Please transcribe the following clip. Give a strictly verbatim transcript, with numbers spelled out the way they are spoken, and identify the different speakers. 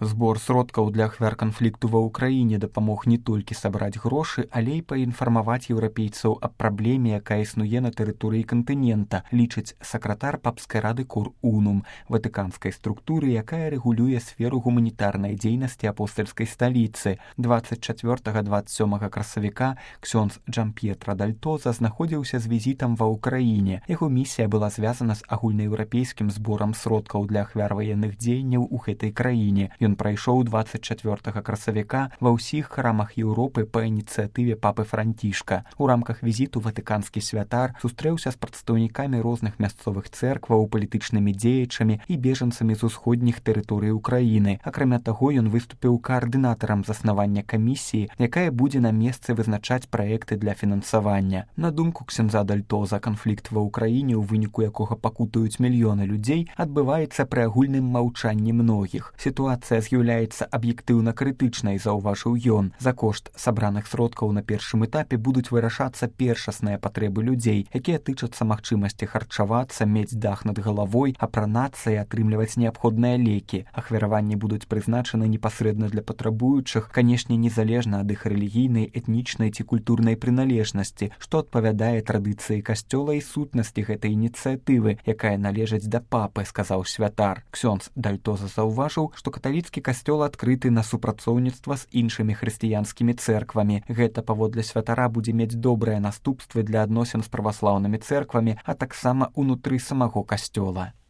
Speaker 1: Збор сродкаў для ахвяр канфлікту ва ўкраіне дапамог не толькі сабраць грошы, але і паінфармаваць еўрапейцаў аб праблеме, якая існуе на тэрыторыі кантынента, лічыць сакратар папскай рады Кор Унум, ватыканскай структуры, якая рэгулюе сферу гуманітарнай дзейнасці апостальскай сталіцы. дваццаць чацвёртага - дваццаць сёмага красавіка ксёндз Джамп'етра Дальтоза знаходзіўся з візітам ва ўкраіне. Яго місія была звязана з агульнаеўрапейскім зборам сродкаў для ахвяр ваенных дзеянняў у гэтай краіне. Ён прайшоў дваццаць чацвёртага красавіка ва ўсіх храмах Еўропы па ініцыятыве папы Францішка. У рамках візіту ватыканскі святар сустрэўся з прадстаўнікамі розных мясцовых цэркваў, палітычнымі дзеячамі і бежанцамі з усходніх тэрыторый Украіны. Акрамя таго, ён выступіў каардынатарам заснавання камісіі, якая будзе на месцы вызначаць праекты для фінансавання. На думку ксяндза Дальтоза, канфлікт ва ўкраіне, у выніку якога пакутуюць мільёны людзей, адбываецца пры агульным маўчанні многіх. Сітуацыя з'яўляецца аб'ектыўна крытычнай, заўважыў ён. За кошт сабраных сродкаў на першым этапе будуць вырашацца першасныя патрэбы людзей, якія тычацца магчымасці харчавацца, мець дах над галавой, апранацца і атрымліваць неабходныя лекі. Ахвяраванні будуць прызначаны непасрэдна для патрабуючых, канешне, незалежна ад іх рэлігійнай, этнічнай ці культурнай прыналежнасці, што адпавядае традыцыі касцёла і сутнасці гэтай ініцыятывы, якая належыць да папы, сказаў святар. Ксёндз Дальтоза заўважыў, што каталіцкі касцёл адкрыты на супрацоўніцтва з іншымі хрысціянскімі цэрквамі. Гэта, паводле святара, будзе мець добрыя наступствы для адносін з праваслаўнымі цэрквамі, а таксама ўнутры самого касцёла.